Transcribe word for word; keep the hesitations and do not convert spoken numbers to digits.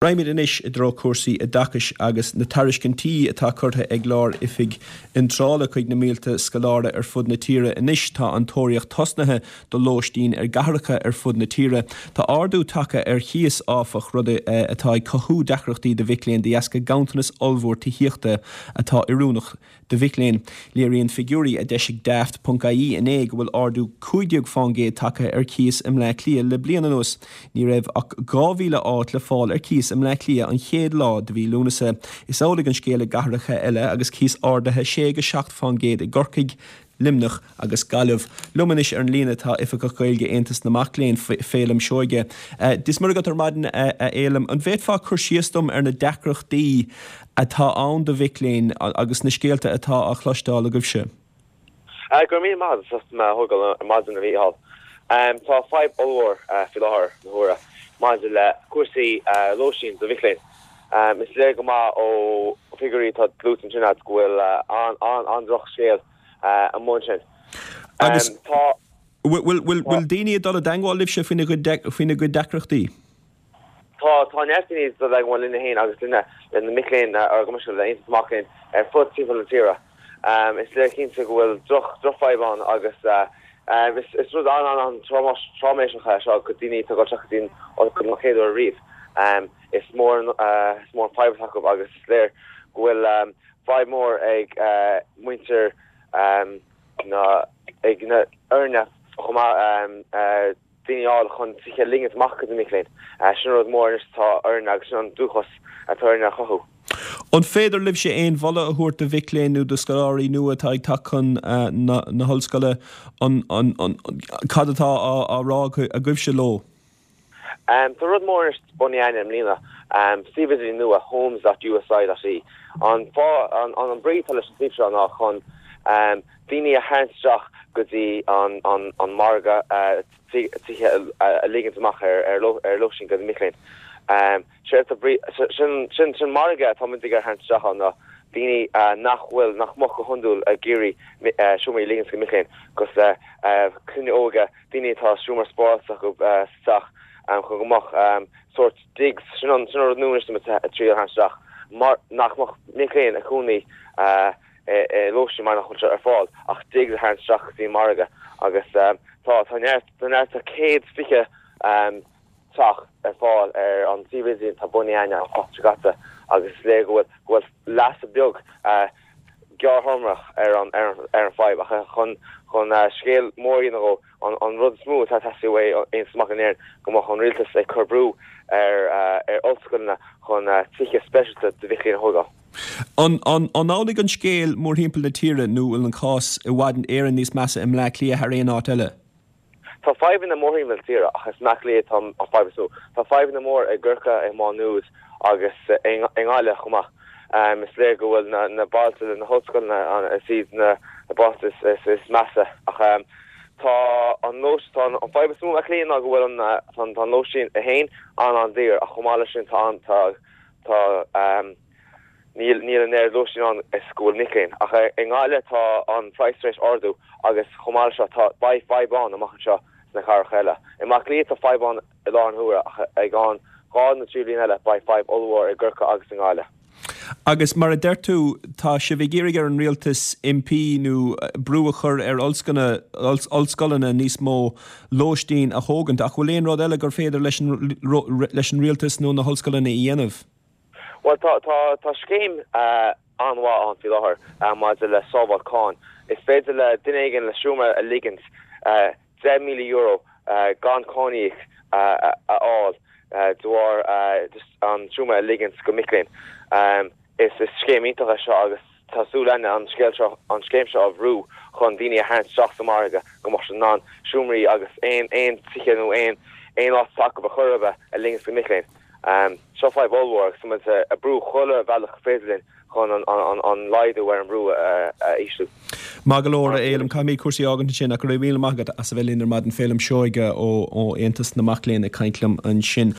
Raghaimid anois i dtreo cúrsaí oideachais agus na tairiscintí atá curtha ag Lár-Oifig Iontrála chuig na mílte scoláire ar fud na tíre. Anois tá an tóraíocht tosnaithe do lóistín ar gcathracha ar fud na tíre. Tá ardú tagtha ar chíos áfach rud atá ag cothú deacrachtaí do mhic léinn de dheasca ganntanas ollmhór tithíochta atá oiriúnach do mhic léinn. Léiríonn figiúirí a d'eisigh Daft.ie inné go bhfuil ardú cúig déag faoin gcéad tagtha ar cíos i mBleá Cliath le bliain anuas. Ní raibh ach dhá mhíle áit le fáil ar cíos i mBleá Cliath an chéad lá de mhí Lúnasa. Is amhlaidh an scéal i gcathracha eile agus cíos ardaithe sé go seacht faoin gcéad i gCorcaigh, Luimneach agus Gaillimh. Liom anois ar an líne tá Oifigeach Gaeilge Aontas na Mac Léinn Féilim Seoige. Dia is Muire agat ar maidin a Fhéilim. An bhféadfá cur síos dom ar na deacrachtaí atá ann do mhic léinn agus na scéalta atá á chloisteáil agaibhse? Go raibh míle maith agat as mé a thógáil ar maidin a Mhícheáil. Tá fadhb ollmhór faoi láthair na huaire maidir le cúrsaí lóistín do mhic léinn. Is léir go maith ó figiúirí atá luaite ansin agat go bhfuil an-drochscéal amuigh ansin. Agus tá bhfuil daoine ag dul i dteagmháil libhse faoina gcuid deacrachtaí? Tá, tá neart daoine ag dul i dteagmháil linne féin agus linne, le na mic léinn, ar go le Aontas na Mac Léinn ar fud timpeall na tíre. Is léir cinnte go bhfuil droch, drochfhadhb ann agus is, is rud an-an-an-tráiméiseach é seo do daoine atá ag dul isteach go dtí an ollscoil don chéad uair riamh. Is mór an, is mór an fadhb atá acu agus is léir go bhfuil fadhb mór ag muintir na, ag na foirne chomh maith daoine a fháil chun tithe a ligint amach do na mic léinn. Sin rud mór anois atá orainn agus sin an dúchas atá orainn a chothú. An féidir libhse aon mholadh a thabhairt do mhic léinn nó do scoláirí nua atá ag teacht chun na hollscoile, cad atá á rá agaibhse leo? Tá rud mór anois bunaithe againn i mbliana, suíomh idirlín nua, homes dot usi dot ie. An fáth, an brí atá leis an suíomh seo ná chun daoine a tharraingt isteach go dtí an margadh tithe a ligint amach ar lóistín do na mic léinn. Sin sin margadh atá muid ag iarraidh a tharraingt isteach ann ná daoine nach bhfuil, nach mbeadh go hiondúil ag iarraidh seomraí a ligint do mic léinn, cosúil le clainne óga, daoine atá seomra spáráilte acu sa teach chun go mbeadh sórt digs, sin an rud nua anois atá muid ag triail a tharraingt isteach, mar nach mbeadh mic léinn ag cónaí i lóistín mar nach bhfuil sé ar fáil ach digs a tharraingt isteach go dtí an margadh agus tá tá neart tá neart tá céad fiche teach ar fáil ar an suíomh idirlín atá bunaithe againn an tseachtain seo caite agus is léir go bhfuil go bhfuil leigheas beag gearrthéarmach ar an ar an fadhb ach chun chun scéal mór a dhéanamh dhó an an rud is mó atá ag teastaigh uaidh Aontas Mac Léinn Éireann go mbeadh an rialtas ag cur brú ar ar ollscoileanna chun tithe speisialta do mhic léinn a thógáil. An an an amhlaidh an scéal mórthimpeall na tíre nó bhfuil an cás i bhfad Éireann níos measa i mBleá Cliath thar aon áit eile? Tá fadhbanna mórthimpeall na tíre ach is i mBleá Cliath atá an fadhb is mó. Tá fadhbanna mór i gCorcaigh, i Má Nuad agus i nGaillimh chomh maith. Is léir go bhfuil na bailte le na hollscoileanna, is iad na bailte is measa ach tá an tá an fadhb is mó i mBleá Cliath ná go bhfuil an tá an lóistín féin an-an-daor ach chomh maith leis sin tá an tá tá Níl níl an oiread lóistín ann is go bhfuil mic léinn. Ach i nGaillimh tá an praghas tar éis ardú agus chomh maith leis seo tá beidh fadhb ann amach anseo sna cathracha eile. I mBaile Átha Cliath tá fadhb ann i láthair na huaire ach i gceann dhá nó trí bhliain eile beidh fadhb ollmhór i gCorcaigh agus i nGaillimh. Agus mar a deir tú, tá sibh ag iarraidh ar an rialtas impí nó brú a chur ar ollscoileanna níos mó lóistín a thógaint ach bhfuil aon rud eile gur féidir leis an leis an rialtas nó na hollscoileanna a dhéanamh? Bhuel, tá, tá, tá scéim an-mhaith ann faoi láthair maidir le sábháil cáin. Is féidir le duine éigin le seomra a ligint deich míle euro gan cáin a íoc a fháil de bharr just an seomra a ligint go mic léinn. Is, is scéim iontach é seo agus tá súil againn an scéal seo, an scéim seo a bhrú chun daoine a tharraingt isteach sa mhargadh go mbeadh siad in ann seomraí agus aon, aon tithe nó aon, aon áit atá acu ar chor ar bith a ligint go mic léinn. Seo fadhb ollmhór agus tá muid ag brú chuile bhealach gur féidir linn chun an laghdú ar an mbrú a ísliú. Maith go leor, a Fhéilim. Caithfimid cúrsaí a fhágaint ansin ach go raibh míle maith agat as a bheith linn ar maidin. Féilim Seoige ó Aontas na Mac Léinn ag caint liom ansin.